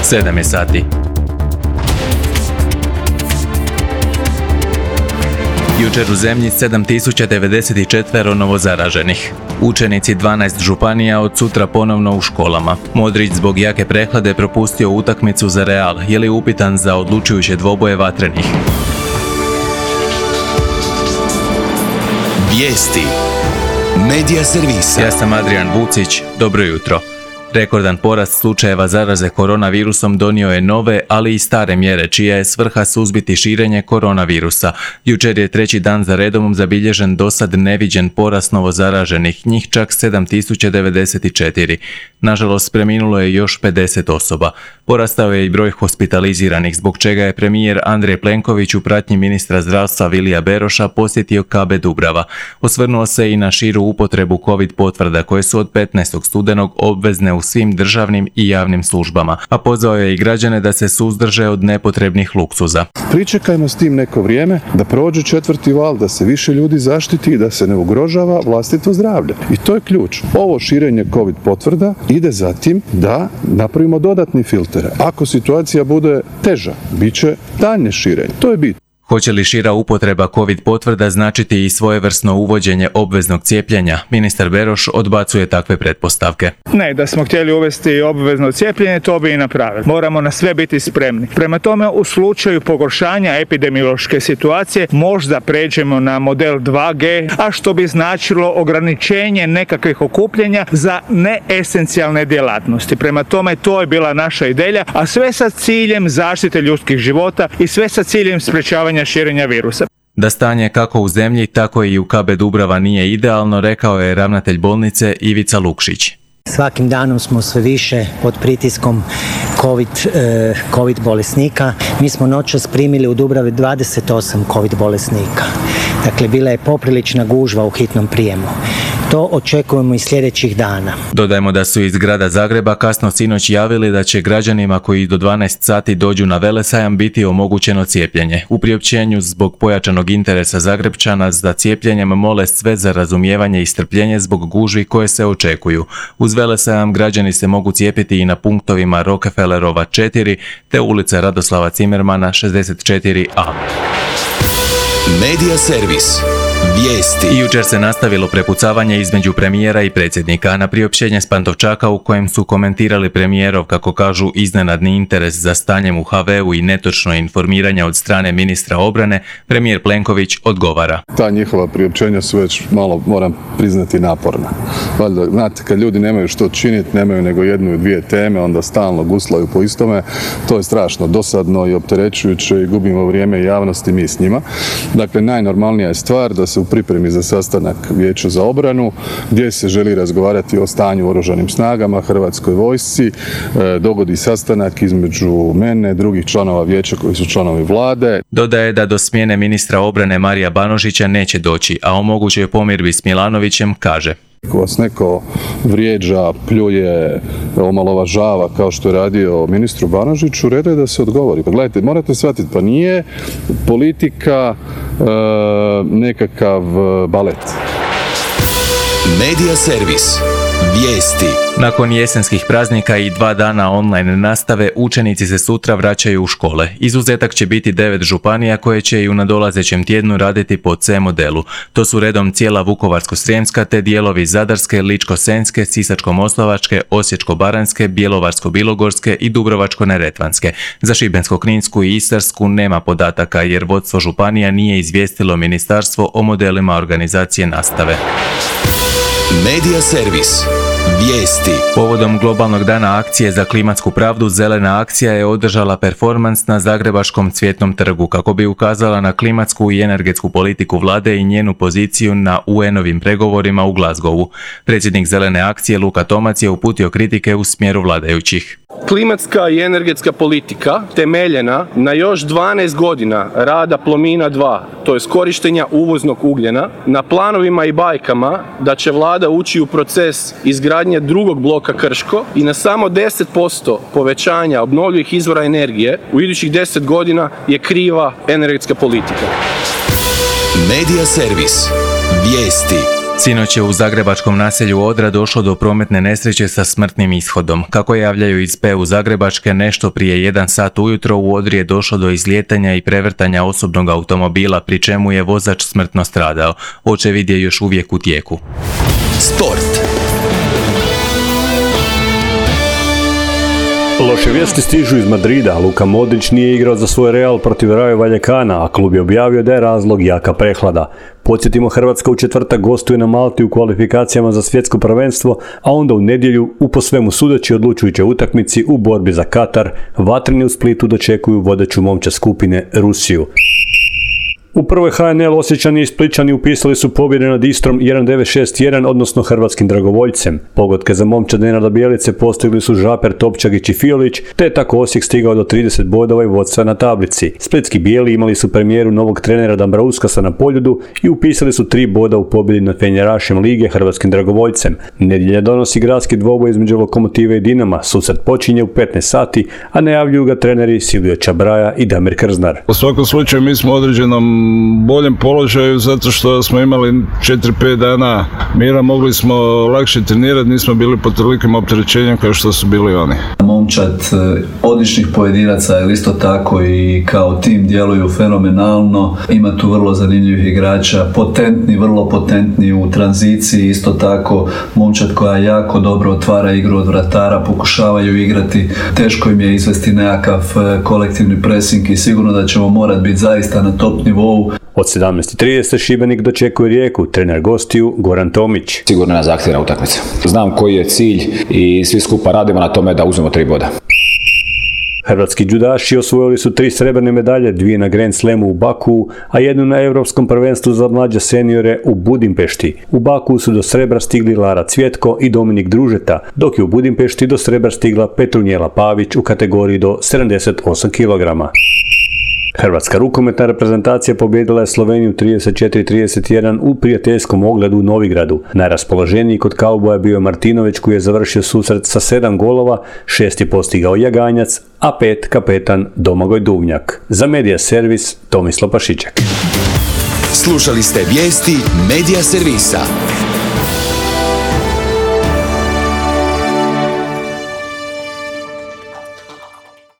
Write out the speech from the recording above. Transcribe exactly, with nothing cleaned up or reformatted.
sedam je sati. Jučer u zemlji sedam tisuća devedeset četiri novozaraženih. Učenici dvanaest županija od sutra ponovno u školama. Modrić zbog jake prehlade propustio utakmicu za Real, je li upitan za odlučujuće dvoboje vatrenih. Vijesti. Medija servisa. Ja sam Adrian Vucić, dobro jutro. Rekordan porast slučajeva zaraze koronavirusom donio je nove, ali i stare mjere, čija je svrha suzbiti širenje koronavirusa. Jučer je treći dan za redom zabilježen dosad neviđen porast novozaraženih, njih čak sedam tisuća devedeset četiri. Nažalost, preminulo je još pedeset osoba. Porastao je i broj hospitaliziranih, zbog čega je premijer Andrej Plenković u pratnji ministra zdravstva Vilija Beroša posjetio K B Dubrava. Osvrnuo se i na širu upotrebu COVID potvrda koje su od petnaestog studenog obvezne u svim državnim i javnim službama, a pozvao je i građane da se suzdrže od nepotrebnih luksuza. Pričekajmo s tim neko vrijeme, da prođe četvrti val, da se više ljudi zaštiti i da se ne ugrožava vlastito zdravlje. I to je ključ. Ovo širenje COVID potvrda ide za tim da napravimo dodatni filter. Ako situacija bude teža, bit će daljnje širenje. To je bit. Hoće li šira upotreba COVID potvrda značiti i svojevrsno uvođenje obveznog cijepljenja? Ministar Beroš odbacuje takve pretpostavke. Ne, da smo htjeli uvesti obvezno cijepljenje, to bi i napravili. Moramo na sve biti spremni. Prema tome, u slučaju pogoršanja epidemiološke situacije možda pređemo na model dva G, a što bi značilo ograničenje nekakvih okupljanja za neesencijalne djelatnosti. Prema tome, to je bila naša ideja, a sve sa ciljem zaštite ljudskih života i sve sa ciljem sprečavanja širenja virusa. Da stanje kako u zemlji, tako i u K B Dubrava nije idealno, rekao je ravnatelj bolnice Ivica Lukšić. Svakim danom smo sve više pod pritiskom COVID, eh, COVID bolesnika. Mi smo noćas primili u Dubravi dvadeset osam COVID bolesnika. Dakle, bila je poprilična gužva u hitnom prijemu. To očekujemo i sljedećih dana. Dodajmo da su iz grada Zagreba kasno sinoć javili da će građanima koji do dvanaest sati dođu na Velesajam biti omogućeno cijepljenje. U priopćenju zbog pojačanog interesa Zagrepčana za cijepljenjem mole sve za razumijevanje i strpljenje zbog gužvi koje se očekuju. Uz Velesajam građani se mogu cijepiti i na punktovima Rockefellerova četiri te ulica Radoslava Cimermana šezdeset četiri A. Medija servis. Vijesti. I jučer se nastavilo prepucavanje između premijera i predsjednika. Na priopćenje s Pantovčaka u kojem su komentirali premijerov, kako kažu, iznenadni interes za stanjem u H V-u i netočno informiranje od strane ministra obrane, premijer Plenković odgovara. Ta njihova priopćenja su već malo, moram priznati, naporna. Valjda, znate, kad ljudi nemaju što činiti, nemaju nego jednu i dvije teme, onda stalno guslaju po istome. To je strašno dosadno i opterećujuće i gubimo vrijeme javnosti mi s njima. Dakle, najnormalnija je stvar da se u pripremi za sastanak Vijeća za obranu, gdje se želi razgovarati o stanju u oružanim snagama, Hrvatskoj vojsci, dogodi sastanak između mene, drugih članova vijeća koji su članovi vlade. Dodaje da do smjene ministra obrane Marija Banožića neće doći, a o mogućoj pomirbi s Milanovićem kaže: Ako vas neko vrijeđa, pljuje, omalovažava kao što je radio ministru Banožiću, red je da se odgovori. Pa gledajte, morate shvatiti, pa nije politika e, nekakav balet. Medija servis. Vijesti. Nakon jesenskih praznika i dva dana online nastave, učenici se sutra vraćaju u škole. Izuzetak će biti devet županija koje će i u nadolazećem tjednu raditi po C modelu. To su redom cijela Vukovarsko-srijemska te dijelovi Zadarske, Ličko-senjske, Sisačko-moslavačke, Osječko-baranjske, Bjelovarsko-bilogorske i Dubrovačko-neretvanske. Za Šibensko-kninsku i Istarsku nema podataka jer vodstvo županija nije izvijestilo ministarstvo o modelima organizacije nastave. Medija servis. Vijesti. Povodom globalnog dana akcije za klimatsku pravdu, Zelena akcija je održala performans na Zagrebačkom Cvjetnom trgu kako bi ukazala na klimatsku i energetsku politiku vlade i njenu poziciju na U N-ovim pregovorima u Glasgowu. Predsjednik Zelene akcije Luka Tomac je uputio kritike u smjeru vladajućih. Klimatska i energetska politika temeljena na još dvanaest godina rada Plomina dva, to je korištenja uvoznog ugljena, na planovima i bajkama da će vlada ući u proces izgradnje drugog bloka Krško i na samo deset posto povećanja obnovljivih izvora energije u idućih deset godina je kriva energetska politika. Medija servis. Vijesti. Sinoć je u zagrebačkom naselju Odra došlo do prometne nesreće sa smrtnim ishodom. Kako javljaju iz P U Zagrebačke, nešto prije jedan sat ujutro u Odri je došlo do izlijetanja i prevrtanja osobnog automobila, pri čemu je vozač smrtno stradao. Očevid je još uvijek u tijeku. Sport. Loše vijesti stižu iz Madrida. Luka Modrić nije igrao za svoj Real protiv Rayo Vallecana, a klub je objavio da je razlog jaka prehlada. Podsjetimo, Hrvatska u četvrtak gostuje na Malti u kvalifikacijama za svjetsko prvenstvo, a onda u nedjelju u po svemu sudeći odlučujućoj utakmici u borbi za Katar, vatreni u Splitu dočekuju vodeću momčad skupine Rusiju. U prvoj H N L Osječani i Splićani upisali su pobjede nad Istrom jedan devet šest jedan, odnosno hrvatskim dragovoljcem. Pogodke za momčad Nenada Bjelice postigli su Žaper, Topčagić i Fiolić, te je tako Osijek stigao do trideset bodova i vodstva na tablici. Splitski bijeli imali su premijeru novog trenera Dambrauskasa na Poljudu i upisali su tri boda u pobjedi nad fenjerašem lige hrvatskim dragovoljcem. Nedjelja donosi gradski dvoboj između Lokomotive i Dinama. Susret počinje u petnaest sati, a najavljuju ga treneri Silvio Čabraja i Damir Krznar. U svakom slučaju mi smo u određenom boljem položaju zato što smo imali četiri pet dana mira, mogli smo lakše trenirati, nismo bili pod tolikim opterećenjem kao što su bili oni. Momčad odličnih pojedinaca, ali isto tako i kao tim djeluju fenomenalno. Ima tu vrlo zanimljivih igrača, potentni, vrlo potentni u tranziciji, isto tako momčad koja jako dobro otvara igru od vratara, pokušavaju igrati, teško im je izvesti nekakav kolektivni pressing i sigurno da ćemo morati biti zaista na top nivou. Od sedamnaest i trideset Šibenik dočekuje Rijeku, trener gostiju Goran Tomić. Sigurno je zahtjevna utakmica. Znam koji je cilj i svi skupa radimo na tome da uzmemo tri boda. Hrvatski džudaši osvojili su tri srebrne medalje, dvije na Grand Slamu u Bakuu, a jednu na Europskom prvenstvu za mlađe seniore u Budimpešti. U Bakuu su do srebra stigli Lara Cvjetko i Dominik Družeta, dok je u Budimpešti do srebra stigla Petrunjela Pavić u kategoriji do sedamdeset osam kilograma. Hrvatska rukometna reprezentacija pobijedila je Sloveniju trideset četiri trideset jedan u prijateljskom ogledu u Novigradu. Najraspoloženiji kod kauboja bio Martinović, koji je završio susret sa sedam golova, šest je postigao Jaganjac, a pet kapetan Domagoj Duvnjak. Za Medija Servis Tomislav Pašiček. Slušali ste vijesti Medija Servisa.